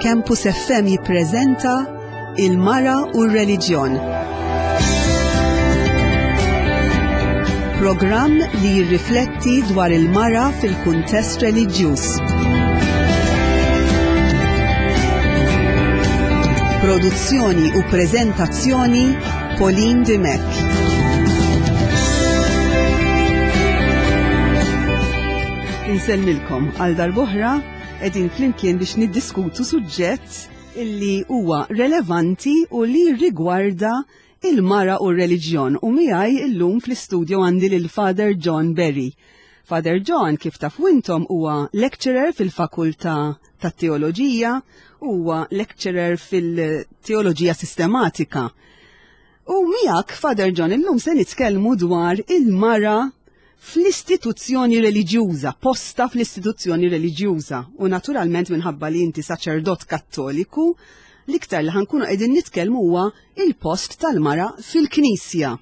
Campus FM jippreżenta Il-Mara u r-Reliġjon. Programm li jirrifletti dwar il-mara fil-kuntest reliġjuż. Produzzjoni u preżentazzjoni Pauline Dimech. Insellmilkom għal darb'oħra qegħdin flimkien biex niddiskutu suġġett illi huwa relevanti u li rigwarda il-mara u r-reliġjon u miegħi illum fl-istudio għandi lil Father John Berry. Father John kif tafu intom huwa lecturer fil-Fakultà tat-Teoloġija, huwa lecturer fil-Teoloġija Sistematika. U miegħek Father John illum se nitkellmu dwar il-mara fl-istituzzjoni reliġjuża, posta fl-istituzzjoni reliġjuża. U naturalment minħabba li inti saċerdot kattoliku, l-iktar li ħankunu qegħdin nitkellmu huwa il-post tal-mara fil-Knisja.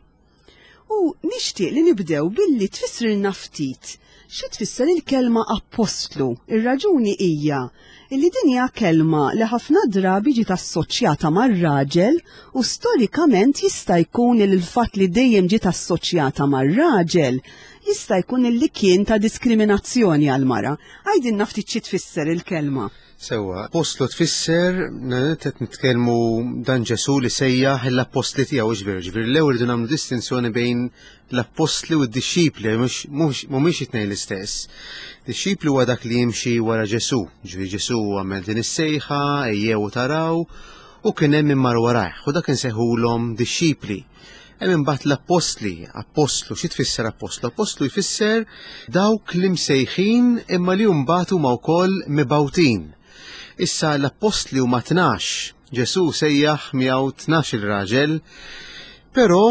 U nixtieq li nibdew billi tfissrilna ftit xi tfisser il-kelma appostlu. Ir-raġuni hija li din hija kelma li ħafna drabi ġiet assoċjata mar-raġel u storikament jista' jkun li l-fatt li dejjem ġiet assoċjata mar-raġel jista' jkun li kien ta' diskriminazzjoni għall-mara. Għidilna ftit xi tfisser il-kelma. Sewwa, appostlu tfisser, qed nitkellmu dan Ġesù li sejjaħ l-appostli tiegħu ġifieri, ġifieri l-ewwel irridu nagħmlu distinzjoni bejn l-appostli u d-dixxipli, mhumiex it-tnejn l-istess. Dixxipli huwa dak li jimxi wara Ġesù, ġifieri Ġesù għamel din is-sejħa, ejjew u taraw, u kien hemm min mar warajh, u dak insejħulhom dixxipli. Hemm imbagħad l-appostli, appostlu, xi tfisser appostlu? Appostlu jfisser dawk li msejħin imma li mbagħad huma wkoll mibgħutin. Issa l-appostli huma 12. Ġesù sejjaħ miegħu 12 il-raġel, però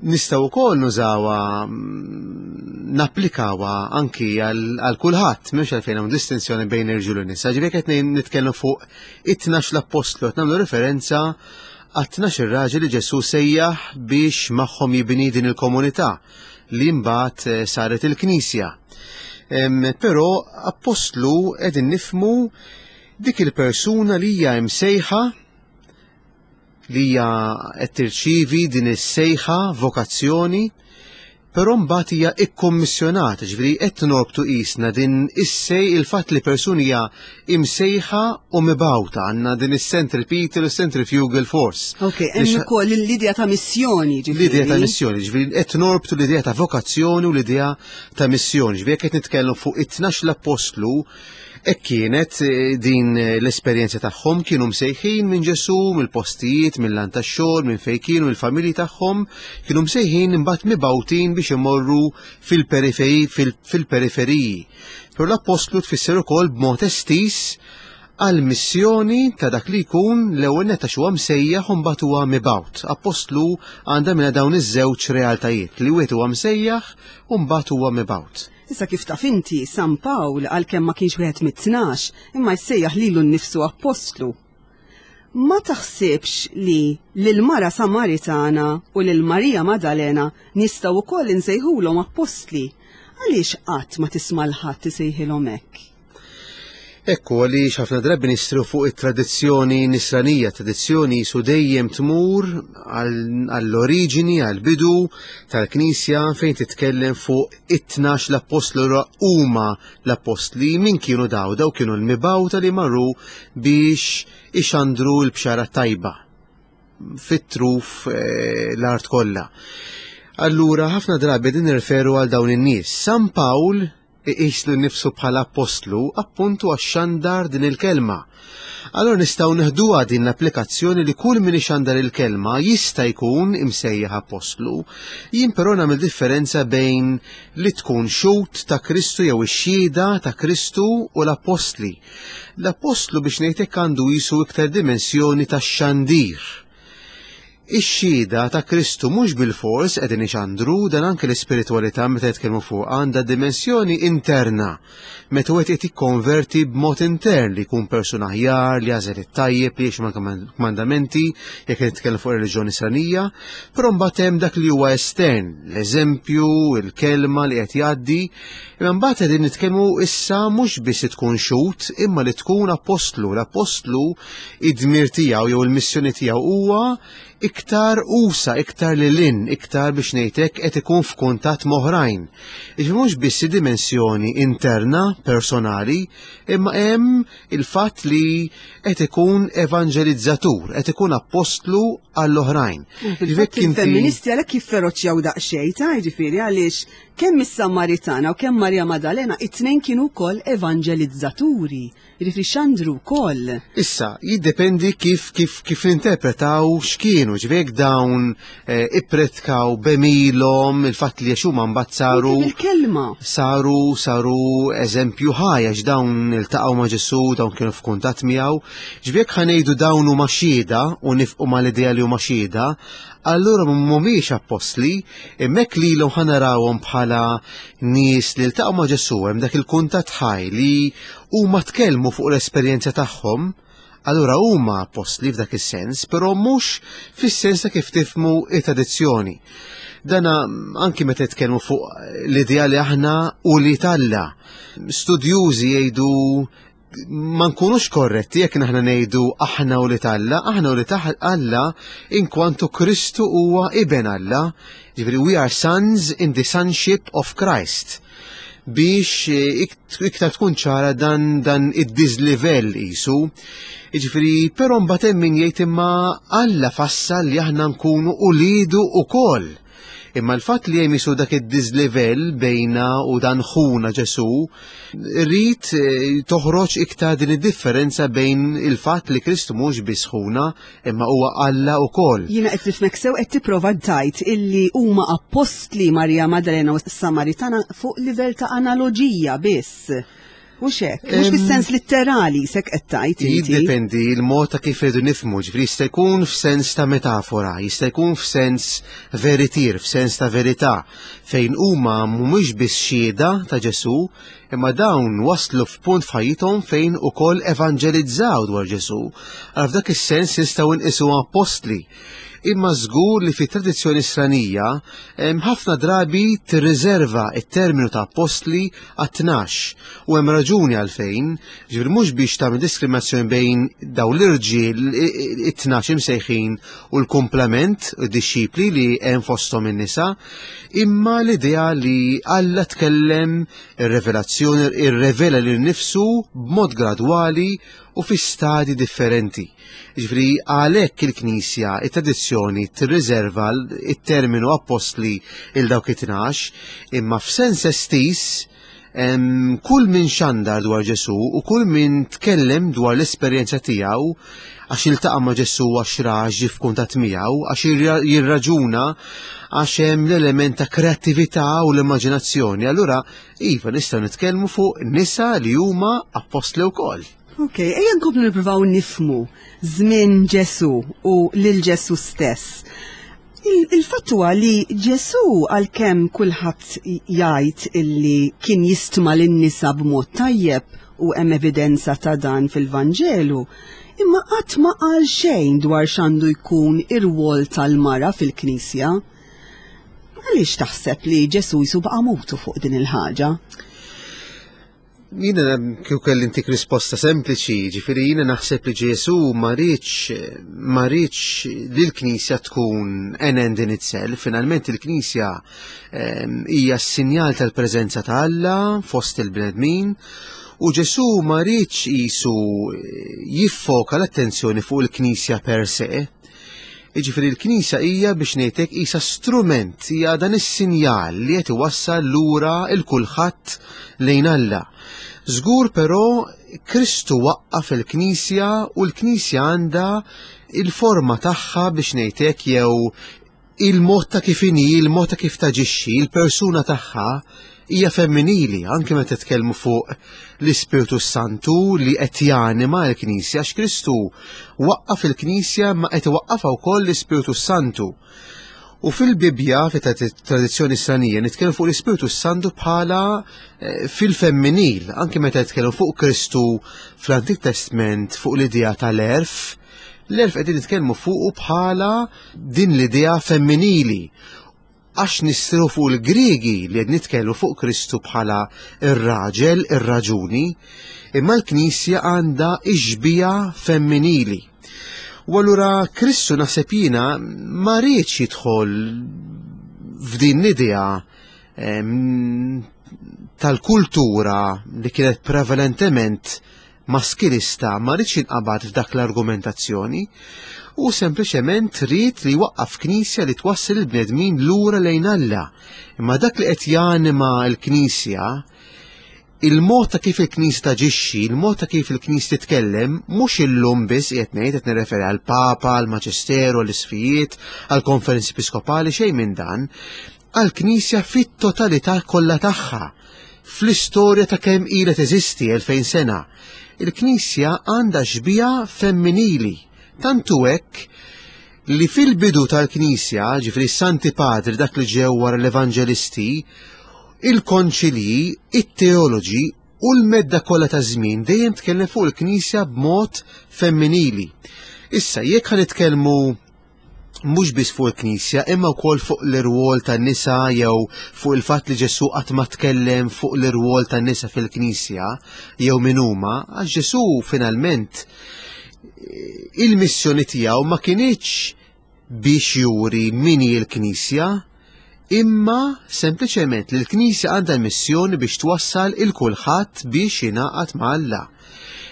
nistgħu wkoll nużawha mm, napplikawha anki għal kulħadd, m'hemmx għalfejn hawn distinzjoni bejn irġiel u nisa. Ġifieri qed nitkellmu fuq it-tnax l-appostlu qed nagħmlu referenza għat-tnax ir-raġel li Ġesù sejjaħ biex magħhom jibni din il-komunità li mbagħad eh, saret il-Knisja. Però appostlu qegħdin nifmu dik il-persuna li hija msejħa li hija qed tirċievi din is-sejħa vokazzjoni Però mbagħad hija ikkommissjonata, ġifieri qed norbtu qisna din is-sej il-fatt li persuni hija imsejħa u mibgħuta għandna din is-centripetal u centrifugal force. Ok, hemm ukoll l-idea ta' missjoni, ġifieri. L-idea ta' missjoni, ġifieri qed norbtu l-idea ta' vokazzjoni u l-idea ta' missjoni. Ġifieri qed nitkellmu fuq it-tnax l-appostlu Hekk kienet eh, din eh, l-esperjenza tagħhom kienu msejħin minn Ġesù, mill-postijiet, mill-lant tax-xogħol, minn fejn kienu il-familji tagħhom, kienu msejħin imbagħad mibgħutin biex imorru fil-periferiji. Però l-appostlu tfisser ukoll b'mod estiż għal missjoni ta' dak li jkun l-ewwel netta xi huwa msejjaħ u mbagħad huwa mibgħut. Appostlu għandha minna dawn iż-żewġ realtajiet li wieħed huwa msejjaħ u mbagħad huwa mibgħut. Issa kif taf inti, San Pawl għalkemm ma kienx wieħed mit-tnax, imma jsejjaħ lilu nnifsu appostlu. Ma taħsibx li lill-mara Samaritana u lil Marija Madalena nistgħu wkoll insejħulhom appostli? Għaliex qatt ma tisma' 'l ħadd isejħilhom hekk? Ekku għaliex ħafna drabi nistru fuq it-tradizzjoni nisranija, tradizzjoni jisu dejjem tmur għall-oriġini, għall-bidu tal-Knisja fejn titkellem fuq it-tnax l-appostlu huma l-appostli min kienu daw, daw kienu l-mibgħuta li marru biex ixandru l-bxara tajba fit-truf eh, l-art kollha. Allura ħafna drabi din nirreferu għal dawn in-nies. San Pawl iqis lilu nnifsu bħala appostlu appuntu għax xandar din il-kelma. Allura nistgħu neħduha din l-applikazzjoni li kull min ixandar il-kelma jista' jkun imsejjaħ appostlu. Jien però nagħmel differenza bejn li tkun xhud ta' Kristu jew ix-xhieda ta' Kristu u l-appostli. L-appostlu biex ngħid hekk għandu jisu iktar dimensjoni ta' xandir. Ix-xhieda ta' Kristu mhux bilfors qegħdin ixandru dan anke l-ispiritwalità meta jitkellmu fuq għandha dimensjoni interna. Meta wieħed qed jikkonverti b'mod intern li jkun persuna aħjar, li jagħżel it-tajjeb, li jgħix mal-kmandamenti, jekk qed nitkellem fuq reliġjoni Nisranija, però mbagħad hemm dak li huwa estern, l-eżempju, il-kelma li qed jgħaddi, imma mbagħad qegħdin nitkellmu issa mhux biss li tkun xhud, imma li tkun appostlu. L-appostlu id-dmir tiegħu jew il-missjoni tiegħu huwa iktar usa, iktar lil hinn, iktar biex ngħidlek qed ikun f'kuntatt m'oħrajn. Jiġifieri mhux biss dimensjoni interna, personali, imma hemm il-fatt li qed ikun evanġelizzatur, qed ikun appostlu għall-oħrajn. Fil-fatt il-femministi għalhekk jifferoċjaw daqsxejn ta' jiġifieri għaliex kemm is-Samaritana u kemm Marja Madalena it-tnejn kienu wkoll evanġelizzaturi. Jiġifieri xandru wkoll. Issa, jiddependi kif kif kif ninterpretaw x'kienu, ġifieri jekk dawn eh, ippretkaw b'għemilhom il-fatt li għax huma mbagħad saru Il-kelma. saru saru eżempju ħaj għax dawn iltaqgħu ma' Ġesù, dawn kienu f'kuntatt miegħu. Ġifieri jekk ħa ngħidu dawn huma xhieda u nifqu mal-idea li huma xhieda, allura mhumiex appostli, imma hekk lilhom ħa narawhom bħala nies li ltaqgħu ma' Ġesù hemm dak il-kuntatt ħaj li huma tkellmu fuq l-esperjenza tagħhom, allura huma appostli f'dak is-sens, però mhux fis-sens ta' kif tifhmu it-tradizzjoni. Dana anki meta jitkellmu fuq l-idea li aħna u li talla. Studjużi jgħidu ma nkunux korretti jekk aħna ngħidu aħna u li talla, aħna u li Alla inkwantu Kristu huwa iben Alla. Ġifieri we are sons in the sonship of Christ. Biex eh, iktar tkun ċara dan dan id-diżlivell qisu. Jiġifieri, però mbagħad hemm min jgħid imma Alla fassal li aħna nkunu ulidu ukoll. Imma l-fatt li hemm isu dak id-diżlivell bejna u dan ħuna Ġesù, rrid eh, toħroġ iktar din id-differenza bejn il-fatt li Kristu mhux biss ħuna, imma huwa Alla wkoll. Jiena qed nifhmek sew qed tipprova tgħid illi huma appostli Marija Maddalena u Samaritana fuq livell ta' analoġija biss. Mhux hekk, mhux fis-sens litterali sek qed tgħid inti. Jiddependi l-mod ta' kif irridu nifhmu, ġifieri jista' jkun f'sens ta' metafora, jista' jkun f'sens veritier, f'sens ta' verità, fejn huma mhumiex biss xhieda ta' Ġesù, Imma dawn waslu f'punt f'ħajjithom fejn ukoll evanġelizzaw dwar Ġesù. Għal f'dak is-sens nistgħu nqisuhom appostli. Imma żgur li fit-tradizzjoni Nisranija ħafna drabi tirriserva t-terminu ta' appostli għat-tnax. U hemm raġuni għalfejn, ġifieri mhux biex tagħmel diskriminazzjoni bejn dawn l-irġiel it-tnax imsejħin u l-kumplament id-dixxipli li hemm fosthom in-nisa, imma l-idea li Alla tkellem ir-revelazzjoni irrevela lil nifsu b'mod gradwali u fi stadi differenti. Ġifieri għalhekk il-Knisja, it-tradizzjoni tirriserva it-terminu appostli il dawk it-tnax, imma f'sens estis kull min xandar dwar Ġesù u kull min tkellem dwar l-esperjenza tiegħu għax iltaqa' ma' Ġesù għax ra ġie f'kuntatt miegħu, għax jirraġuna għax hemm l-element ta' kreattività u l-immaġinazzjoni. Allura, iva nistgħu nitkellmu fuq nisa li huma appostli wkoll. Ok, ejja nkomplu nippruvaw nifhmu żmien Ġesù u lil Ġesù stess. Il-fatt huwa li Ġesù għalkemm kulħadd jgħid illi kien jistma lin-nisa b'mod tajjeb u hemm evidenza ta' dan fil-Vanġelu, imma qatt ma qal xejn dwar x'għandu jkun ir-rwol tal-mara fil-Knisja. Għaliex taħseb li Ġesù jisu baqa' mutu fuq din il-ħaġa? Jiena kieku kelli ntik risposta sempliċi, ġifieri jiena naħseb li Ġesu ma riedx ma riedx li l-Knisja tkun an end in itself, finalment il-Knisja ehm, hija s-sinjal tal-preżenza ta' Alla fost il-bnedmin u Ġesu ma riedx qisu jiffoka l-attenzjoni fuq il-Knisja per se, Jiġifieri l-Knisja hija biex ngħidlek qisha strument, hija dan is-sinjal li qed iwassal lura il kulħadd lejn Alla. Żgur però Kristu waqqaf il-Knisja u l-Knisja għandha il-forma tagħha biex ngħidlek jew il-mod ta' kif inhi, il-mod ta' kif taġixxi, il-persuna tagħha. hija femminili, anke meta titkellmu fuq l-Ispirtu Santu li qed janima l-Knisja, għax Kristu waqqaf il-Knisja ma qed iwaqqafha wkoll l-Ispirtu Santu. U fil-Bibbja, fit-tradizzjoni Nisranija, nitkellmu fuq l-Ispirtu Santu bħala eh, fil-femminil, anke meta nitkellmu fuq Kristu fl-Antik Testment fuq l-idea tal-erf, l-erf qegħdin nitkellmu fuqu bħala din l-idea femminili għax nistrieħu fuq il-Griegi li qed nitkellmu fuq Kristu bħala ir-raġel, ir-raġuni, imma l-Knisja għandha ix-xbieha femminili. U allura Kristu naħseb jiena ma riedx jidħol f'din l-idea tal-kultura li kienet prevalentement maskilista ma riedx jinqabad f'dak l-argumentazzjoni u sempliċement ried li jwaqqaf knisja li twassal il-bnedmin lura lejn Alla. Imma dak li qed janima l-knisja il-mod ta' kif il-Knisja taġixxi, il-mod ta' kif il-Knisja titkellem, mhux illum biss qiegħed ngħid qed nirreferi għall-Papa, għall-Maġisteru, għall-Isfijiet, għall-Konferenzi Episkopali, xejn minn dan, għall-Knisja fit-totalità kollha tagħha, fl-istorja ta' kemm ilha teżisti 2000 sena. Il-Knisja għandha xbieha femminili, tant hu hekk li fil-bidu tal-Knisja, ġifieri s-Santi Padri dak li ġew wara l-Evanġelisti, il-konċilji, it-teoloġi u l-medda kollha ta' żmien dejjem tkellem fuq il-Knisja b'mod femminili. Issa, jekk ħa nitkellmu mhux biss fuq il-Knisja imma wkoll fuq l-irwol tan-nisa jew fuq il-fatt li Ġesù qatt ma tkellem fuq l-irwol tan-nisa fil-Knisja jew min huma, għax Ġesù finalment eh, il-missjoni tiegħu ma kinitx biex juri min hi l-Knisja, imma sempliċement li l-Knisja għandha l-missjoni biex twassal il kulħadd biex jingħaqad ma' Alla.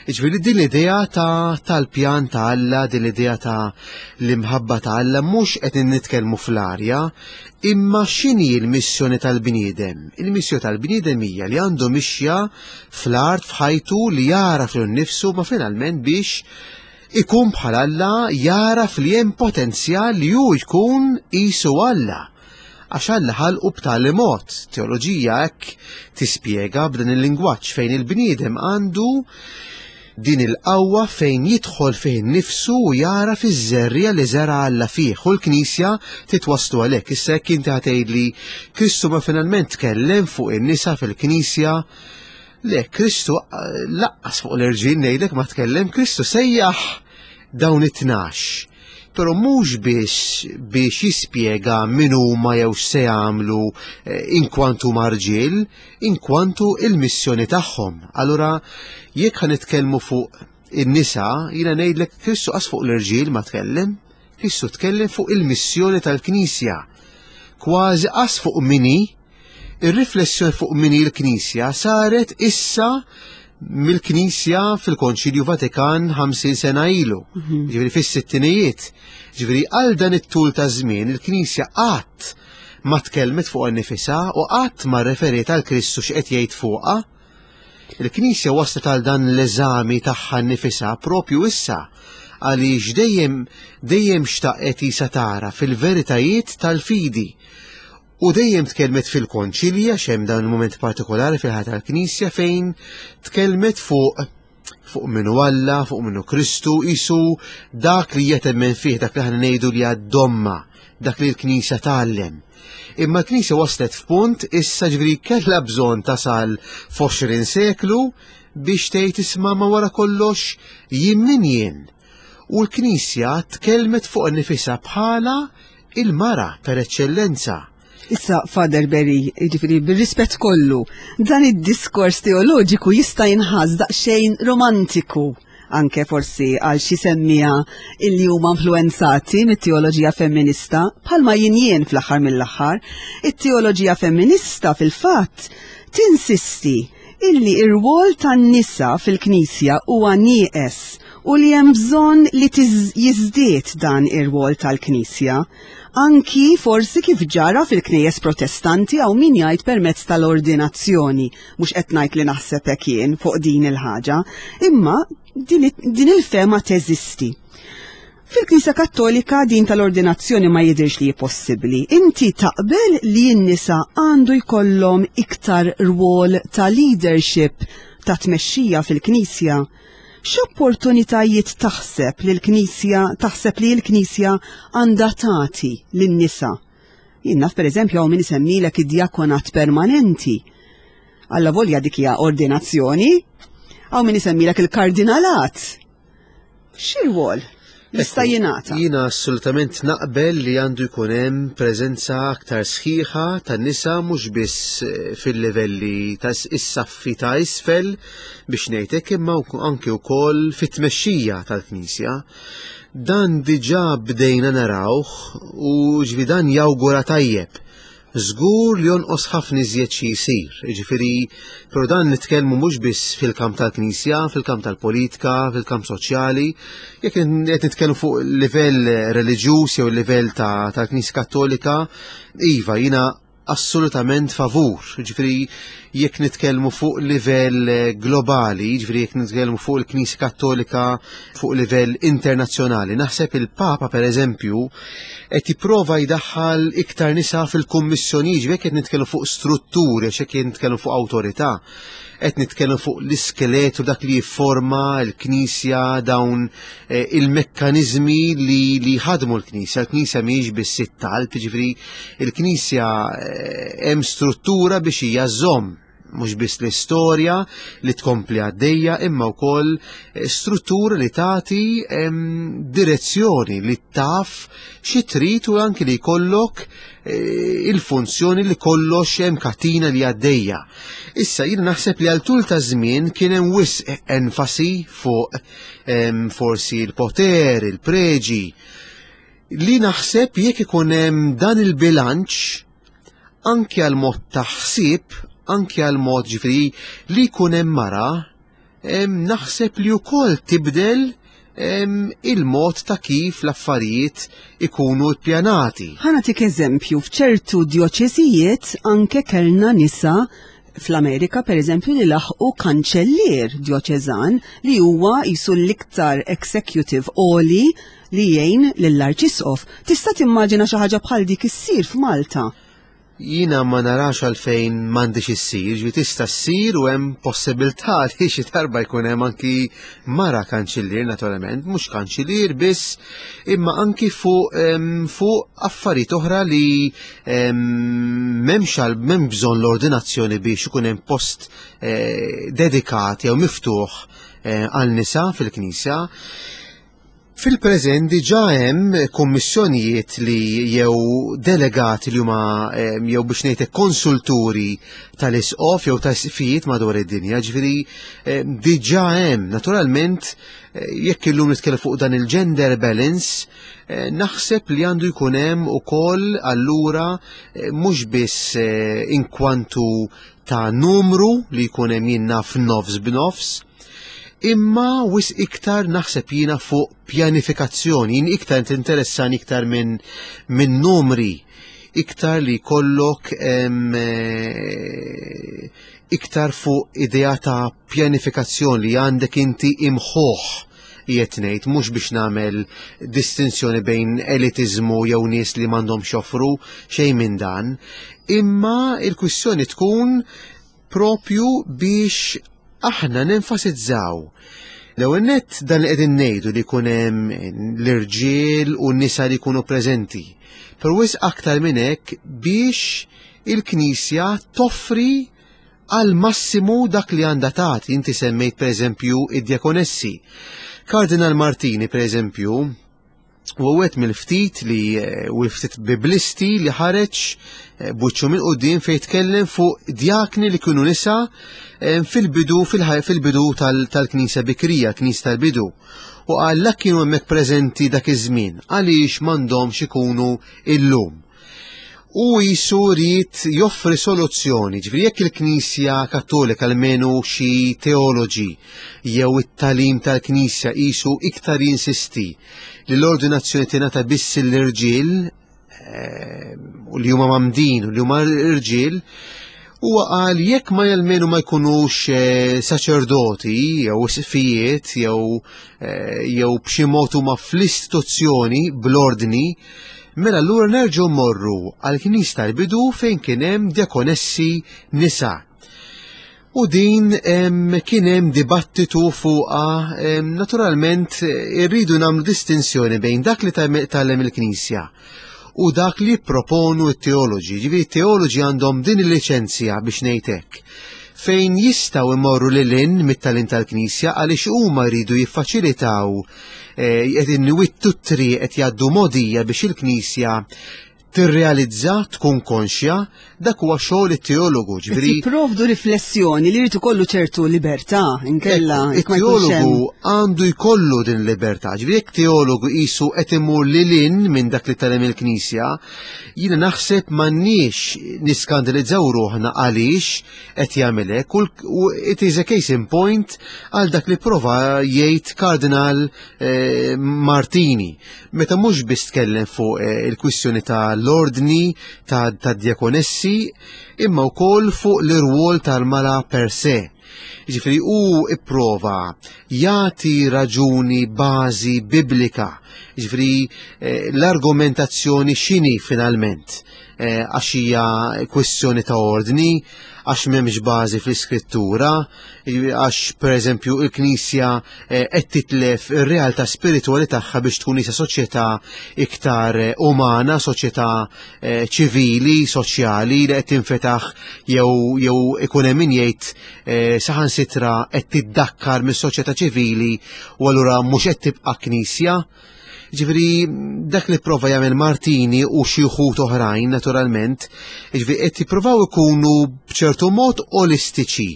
Ġifieri din l-idea ta' tal-pjan ta' Alla, din l-idea ta' l-imħabba ta' Alla mhux qed nitkellmu fl-arja, imma x'inhi l-missjoni tal-bniedem? Il-missjoni tal-bniedem hija li għandu mixja fl-art f'ħajtu li jara fil nnifsu ma finalment biex ikun bħal Alla jaraf li hemm potenzjal li hu jkun qisu Alla. Għax Alla ħalqu b'tali mod, teoloġija hekk tispjega b'dan il-lingwaġġ fejn il-bniedem għandu din il-qawwa fejn jidħol fih innifsu u jara fiż-żerriegħa li żera' Alla fih u l-Knisja titwasslu għalhekk. Issa jekk inti ħatgħidli Kristu ma finalment tkellem fuq in-nisa fil-Knisja, le Kristu eh, laqqas fuq l-irġiel ngħidlek ma tkellem, Kristu sejjaħ dawn it-tnax Però mhux biss biex jispjega min huma jew x'se jagħmlu eh, inkwantu marġiel, inkwantu il-missjoni tagħhom. Allura jekk ħa nitkellmu fuq in-nisa, jiena ngħidlek Kristu qas fuq l-irġiel ma tkellem, Kristu tkellem fuq il-missjoni tal-Knisja. Kważi qas fuq mini, Ir-riflessjoni fuq min hi l-Knisja saret issa mill-Knisja fil-Konċilju Vatikan 50 sena ilu, mhm. ġifieri fis-sittinijiet. Ġifieri għal dan it-tul ta' żmien il-Knisja qatt ma tkellmet fuq nifisha u qatt ma referiet għal Kristu x'qed jgħid fuqha. Il-Knisja waslet għal dan l-eżami tagħha nnifisha propju issa għaliex dejjem dejjem xtaqet isa tara fil-veritajiet tal-fidi U dejjem tkellmet fil-konċilji għax hemm dan il-mument partikolari fil-ħajja tal-Knisja fejn tkellmet fuq fuq minnu Alla, fuq minnu Kristu, isu dak li jetemmen fih, dak li ħana ngħidu li għad-domma, dak li l-Knisja tgħallem. Imma l-Knisja waslet f'punt issa ġifieri kellha bżonn tasal f'20 seklu biex tgħid isma' ma wara kollox jien min jien. U l-Knisja tkellmet fuq nifisha bħala il-mara per eċċellenza. Issa, Father Berry, jiġifieri bir-rispett kollu, dan id-diskors teoloġiku jista' jinħass daqsxejn romantiku anke forsi għal xi semmija illi huma influenzati mit-teoloġija femminista, bħalma jien jien fl-aħħar mill-aħħar. It-teoloġija femminista fil-fatt tinsisti illi ir-rwol tan-nisa fil-Knisja huwa nieqes u li hemm bżonn li jiżdied dan ir-rwol tal-Knisja, anki forsi kif ġara fil-Knejjes Protestanti hawn min jgħid permezz tal-ordinazzjoni, mhux qed ngħid li naħseb hekk jien fuq din il-ħaġa, imma din il-fehma teżisti. Fil-Knisja Kattolika din tal-ordinazzjoni ma jidhirx li hi possibbli. Inti taqbel li n-nisa għandu jkollhom iktar rwol ta' leadership ta' tmexxija fil-Knisja? X'opportunitajiet taħseb li l-Knisja taħseb li l-Knisja għandha tagħti lin-nisa? Jien naf pereżempju hawn min isemmilek id-djakonat permanenti. Alla volja dik hija ordinazzjoni. Hawn min isemmilek il-kardinalat. X'irwol jista' jingħata? Jiena assolutament naqbel li għandu jkun hemm preżenza aktar sħiħa tan-nisa mhux biss eh, fil-livelli ta' is-saffi ta' isfel biex ngħidlek imma anke wkoll fit-tmexxija tal-Knisja. Dan diġà bdejna narawh u ġvi dan jawgura tajjeb Żgur li jonqos ħafna iżjed xi jsir, jiġifieri, però dan nitkellmu mhux biss fil-kamp tal-Knisja, fil-kamp tal-politika, fil-kamp soċjali, jekk qed nitkellmu fuq livell reliġjuż jew livell tal-Knisja Kattolika, iva, jiena assolutament favur. Ġifieri jekk nitkellmu fuq livell globali, ġifieri jekk nitkellmu fuq il-Knisja Kattolika fuq livell internazzjonali, naħseb il-Papa pereżempju qed jipprova jdaħħal iktar nisa fil-kummissjoni, ġifieri qed nitkellmu fuq strutturi, għax qed nitkellmu fuq awtorità, qed nitkellmu fuq l-iskeletu dak li jifforma l-Knisja dawn eh, il-mekkaniżmi li li ħadmu l-Knisja. L-Knisja mhijiex biss it-talb, ġifieri l-Knisja eh, hemm struttura biex hija żomm mhux biss l-istorja li tkompli għaddejja imma wkoll eh, struttura li tagħti direzzjoni li taf xi trid u anki li jkollok eh, il-funzjoni li kollox hemm katina li għaddejja. Issa jien naħseb li għal tul ta' żmien kien hemm wisq enfasi fuq forsi l-poter, il-preġi, li naħseb jekk ikun hemm dan il-bilanċ anki għal mod ta' ħsieb, anki għal mod ġifri li jkun hemm mara, naħseb li wkoll tibdel il-mod ta' kif l-affarijiet ikunu ppjanati. Ħa nagħtik eżempju, f'ċertu djoċesijiet anke kellna nisa fl-Amerika per eżempju li laħqu kanċellier djoċeżan li huwa jisu l-iktar executive oli li jgħin lill-Arċisqof. Tista' timmaġina xi ħaġa bħal dik issir f'Malta? Jiena ma narax għalfejn m'għandix issir, ġifieri tista' ssir u hemm possibilità li xi darba jkun hemm anki mara kanċillier naturalment, mhux kanċillier biss, imma anki fuq fuq affarijiet oħra li m'hemmx għal m'hemm bżonn l-ordinazzjoni biex ikun hemm post eh, dedikat jew miftuħ eh, għal nisa fil-Knisja. Fil-preżent diġà hemm kummissjonijiet li jew delegati li huma jew biex ngħidlek konsulturi tal-isqof jew ta' isqfijiet madwar id-dinja, ġifieri diġà hemm. Naturalment jekk illum nitkellem fuq dan il-gender balance, eh, naħseb li għandu jkun hemm ukoll allura eh, mhux biss eh, inkwantu ta' numru li jkun hemm jien naf nofs b'nofs, imma wis iktar naħseb jiena fuq pjanifikazzjoni, jien iktar tinteressani iktar minn min numri, iktar li jkollok eh, iktar fuq idea ta' pjanifikazzjoni li għandek inti imħuħ qiegħed ngħid mhux biex nagħmel distinzjoni bejn elitiżmu jew nies li m'għandhomx joffru xejn minn dan, imma il-kwistjoni tkun propju biex aħna nenfasizzaw L-ewwel nett dan li qegħdin ngħidu li jkun hemm l-irġiel u n-nisa li jkunu preżenti. Però wisq aktar minn hekk biex il-Knisja toffri għal massimu dak li għandha tagħti. Inti semmejt pereżempju id-djakonessi. Kardinal Martini pereżempju u għet mill-ftit li eh, u ftit biblisti li ħareġ eh, buċċu minn qudiem fejn tkellem fuq djakni li kienu nisa eh, fil-bidu fil-bidu tal-Knisja Bikrija, Knisja tal-bidu. U qal lak kienu hemmhekk preżenti dak iż-żmien għaliex m'għandhomx ikunu illum. U jisu ried joffri soluzzjoni, ġifieri jekk il-Knisja Kattolika almenu xi teoloġi jew it-tagħlim tal-Knisja qisu iktar jinsisti li l-ordinazzjoni tingħata biss l-irġiel eh, u li huma mamdin u li huma irġiel, Huwa qal jekk ma jelmenu ma jkunux eh, saċerdoti jew isqfijiet jew eh, jew b'xi mod huma fl-istituzzjoni bl-ordni, mela allura nerġgħu morru għall-knis tal-bidu fejn kien hemm diakonessi nisa. U din kien hemm dibattitu fuqha naturalment irridu nagħmlu distinzjoni bejn dak li tgħallem il-Knisja u dak li jipproponu t-teoloġi. Ġifieri t-teoloġi għandhom din il-liċenzja biex ngħid hekk fejn jistgħu imorru lil hinn mit-tagħlim tal-Knisja għaliex huma jridu jiffaċilitaw eh, qed inwittu t-triq qed jgħaddu mogħdija biex il-Knisja tirrealizza, tkun konxja, dak huwa xogħol it-teologu, ġifieri. Jipprovdu riflessjoni li jrid ikollu ċertu libertà, inkella. It-teologu għandu jkollu din libertà, ġifieri jekk teologu qisu qed imur lil hinn minn dak li tagħlem il-Knisja, jiena naħseb m'għandniex niskandalizzaw ruħna għaliex qed jagħmel hekk u it is a case in point għal dak li prova jgħid Kardinal eh, Martini. Meta mhux biss tkellem fuq eh, il-kwistjoni ta' l-ordni ta' diakonessi, imma wkoll fuq l-irwol tal-mara per se. Ġifieri hu ipprova jagħti raġuni bażi biblika. Ġifieri eh, l-argumentazzjoni x'inhi finalment eh, għax hija kwistjoni ta' ordni, għax m'hemmx bażi fl-iskrittura, għax pereżempju il-Knisja eh, qed titlef ir-realtà spiritwali tagħha biex tkun isa soċjetà iktar eh, umana, soċjetà eh, ċivili, soċjali li qed tinfetaħ jew jew ikun hemm min jgħid saħansitra qed tiddakkar mis-soċjetà ċivili u allura mhux qed tibqa' Knisja. Ġifieri dak li prova jagħmel Martini u xi wħud oħrajn naturalment, ġifieri qed jippruvaw ikunu b'ċertu mod olistiċi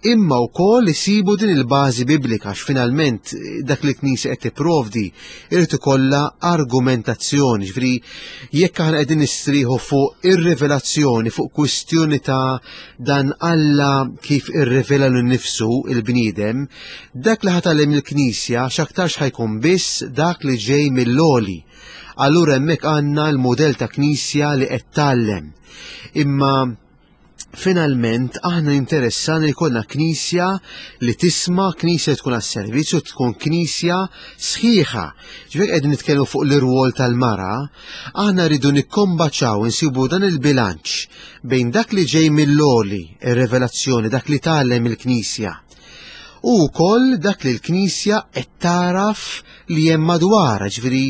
imma wkoll isibu din il-bażi biblika għax finalment dak li l-Knisja qed tipprovdi irid ikollha argumentazzjoni, ġifieri jekk aħna qegħdin nistrieħu fuq ir-rivelazzjoni, fuq kwistjoni ta' dan Alla kif irrivela lil nifsu il-bniedem, dak li ħatgħallem il-Knisja x'aktarx ħajkun biss dak li ġej mill-għoli. Allura hemmhekk għandna l-mudell ta' Knisja li qed tgħallem. Imma finalment aħna interessani li jkollna knisja li tisma, knisja tkun għas-servizz u tkun knisja sħiħa. Ġifieri qegħdin nitkellmu fuq l-irwol tal-mara, aħna rridu nikkombaċaw insibu dan il-bilanċ bejn dak li ġej mill-għoli, ir-revelazzjoni, dak li tgħallem il-knisja u wkoll dak li l-Knisja qed taraf li hemm madwar, ġifieri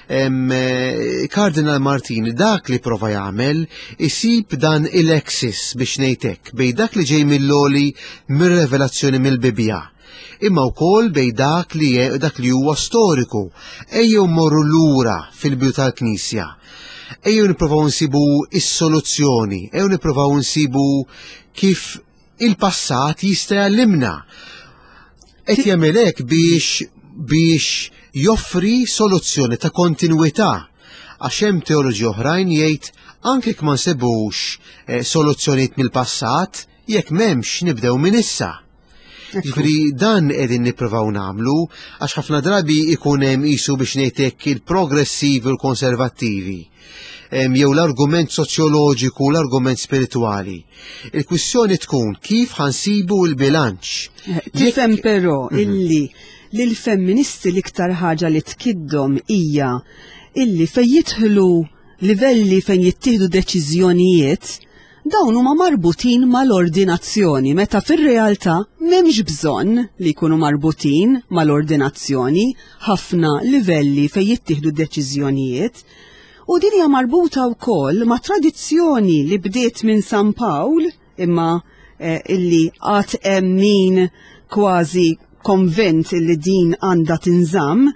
eh, Kardinal Martin dak li prova jagħmel isib dan il-axis biex ngħidlek bejn dak li ġej mill-oli mir-revelazzjoni mill-Bibbja imma wkoll bejn dak li dak li huwa storiku. Ejjew morru lura fil-bidu tal-Knisja. Ejjew nippruvaw nsibu is-soluzzjoni, ejjew nippruvaw nsibu kif il-passat jista' jgħallimna. Qed jagħmel hekk biex biex joffri soluzzjoni ta' kontinwità għax hemm teoloġi oħrajn jgħid anke jekk ma nsibux eh, soluzzjonijiet mill-passat, jekk m'hemmx nibdew minn issa. Ġifieri dan qegħdin nippruvaw nagħmlu għax ħafna drabi ikun hemm qisu biex ngħid hekk il-progressivi u l-konservattivi jew l-argument soċjoloġiku u l-argument spiritwali. Il-kwistjoni tkun kif ħansibu l-bilanċ. Eh, tifhem però mhm. illi li l-femministi l-iktar ħaġa li tkiddhom hija illi fejn jidħlu livelli fejn jittieħdu deċiżjonijiet Dawn huma marbutin mal-ordinazzjoni meta fir-realtà m'hemmx bżonn li jkunu marbutin mal-ordinazzjoni ħafna livelli fejn jittieħdu deċiżjonijiet. U din hija marbuta wkoll ma' tradizzjoni li bdiet minn San Pawl imma eh, illi għad hemm min kważi konvint li din għandha tinżamm,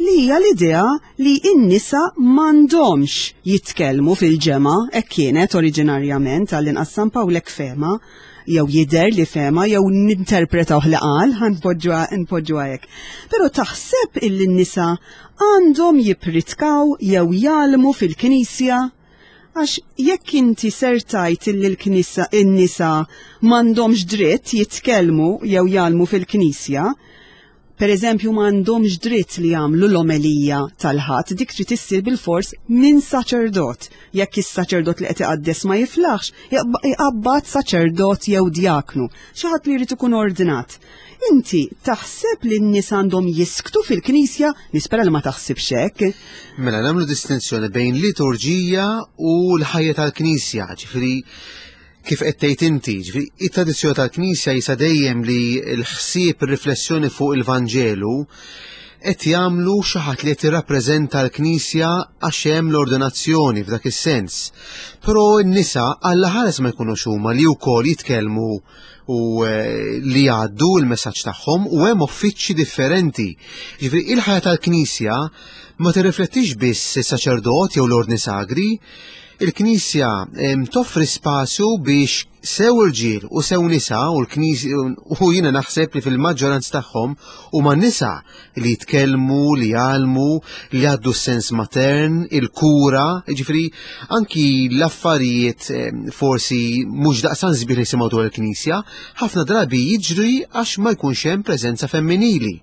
li hija l-idea li n-nisa m'għandhomx jitkellmu fil-ġemgħa, hekk kienet oriġinarjament għall-inqas San Pawl hekk fehma, jew jidher li fehma jew ninterpretawh li qal, ħa npoġġuha hekk. Però taħseb illi n-nisa għandhom jippritkaw jew jgħallmu fil-Knisja? Għax jekk inti ser tgħid illi l-knisa in-nisa m'għandhomx dritt jitkellmu jew jgħallmu fil-knisja, Per eżempju, ma għandhomx dritt li jagħmlu l-omelija tal-Ħadd, dik trid issir bilfors minn saċerdot. Jekk is-saċerdot li qed iqaddes ma jiflaħx, iqabbad saċerdot jew djaknu, xi ħadd li jrid ikun ordnat. Inti taħseb li n-nies għandhom jisktu fil-knisja? Nispera li ma taħsibx hekk. Mela nagħmlu distinzjoni bejn liturġija u l-ħajja tal-knisja, ġifieri kif qed tgħid inti, ġifieri it-tradizzjoni tal-Knisja jisa dejjem li l-ħsieb ir-riflessjoni fuq il-Vanġelu qed jagħmlu xi ħadd li qed jirrappreżenta l-Knisja għax hemm l-ordinazzjoni f'dak is-sens. Però n-nisa alla ħares ma jkunux huma li wkoll jitkellmu u eh, li jgħaddu l-messaġġ tagħhom u hemm uffiċċji differenti. Ġifieri il-ħajja tal-Knisja ma tirriflettix biss is-saċerdot jew l-ordni sagri, Il-Knisja toffri spazju biex sew irġiel u sew nisa u l-Knisja u jiena naħseb li fil-maġġoranza tagħhom huma nisa li jitkellmu, li jgħallmu, li għaddu s-sens matern, il-kura, jiġifieri anki l-affarijiet forsi mhux daqsan sbieħ nisimgħu dwar il-Knisja, ħafna drabi jiġri għax ma jkunx hemm preżenza femminili.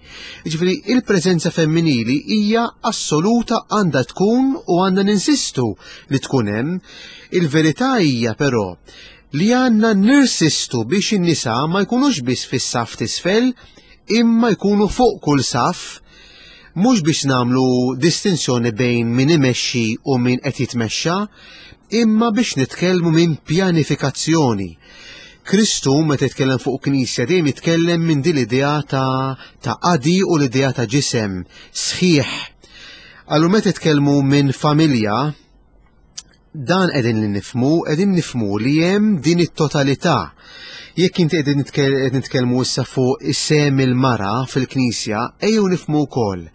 Jiġifieri il-preżenza femminili hija assoluta għandha tkun u għandna ninsistu li tkun hemm. Il-verità hija però li għandna nirsistu biex in-nisa ma jkunux biss fis-saff t'isfel imma jkunu fuq kull saff mhux biex nagħmlu distinzjoni bejn min imexxi u min qed jitmexxa, imma biex nitkellmu minn pjanifikazzjoni. Kristu meta jitkellem fuq knisja dejjem jitkellem minn din l-idea ta' ta' qadi u l-idea ta' ġisem sħiħ. Allura meta jitkellmu minn familja, dan qegħdin li nifmu, qegħdin nifmu li hemm din it-totalità. Jekk inti qegħdin nitkellmu issa fuq is-sem il-mara fil-knisja, ejjew nifmu wkoll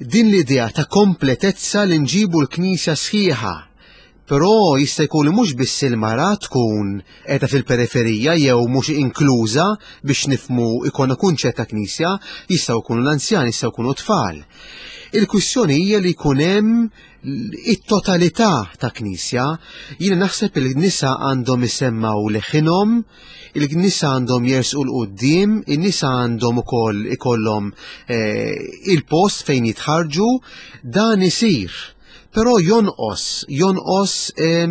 din l-idea ta' kompletezza li nġibu l-knisja sħiħa Però jista' jkun li mhux biss il-mara tkun qiegħda fil-periferija jew mhux inkluża biex nifhmu jkollna kunċett ta' knisja, jistgħu jkunu l-anzjani, jistgħu jkunu tfal. Il-kwistjoni hija li jkun hemm it-totalità ta' knisja. Jiena naħseb il nisa għandhom isemmaw leħinhom, il-nisa għandhom jersqu l-qudiem, in-nisa għandhom ukoll ikollhom eh, il-post fejn jitħarġu, dan isir. Però jonqos, jonqos eh,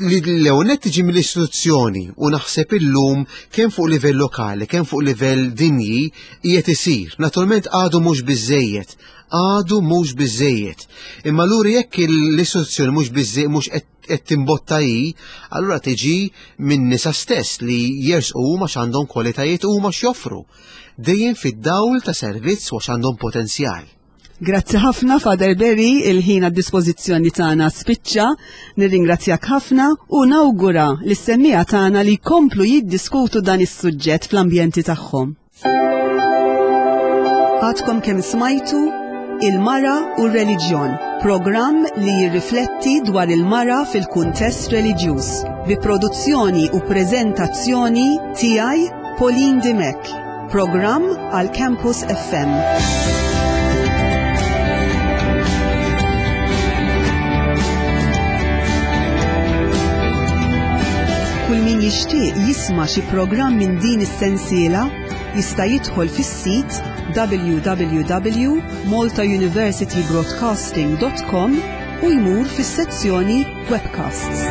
li l-ewwel tiġi mill-istituzzjoni u naħseb illum kemm fuq livell lokali, kemm fuq livell dinji qiegħed isir. Naturalment għadu mhux biżejjed, għadu mhux biżejjed. Imma luri jekk l-istituzzjoni mhux biżejjed mhux qed timbotta hi, allura tiġi minn nisa stess li jersqu huma x'għandhom kwalitajiet huma x'joffru. Dejjem fid-dawl ta' servizz u għax għandhom potenzjal. Grazzi ħafna Father Berry, il-ħin għad-dispożizzjoni tagħna spiċċa. Nirringrazzjak ħafna u nawgura lis-semmiegħa tagħna li jkomplu jiddiskutu dan is-suġġett fl-ambjenti tagħhom. Għadkom kemm smajtu Il-Mara u r-Reliġjon, programm li jirrifletti dwar il-mara fil-kuntest reliġjuż, bi produzzjoni u preżentazzjoni tiegħi Pauline Dimech. Programm għal Campus FM. Kull min jixtieq jisma' xi programm minn din is-sensiela jista' jidħol fis-sit www.maltauniversitybroadcasting.com u jmur fis-sezzjoni Webcasts.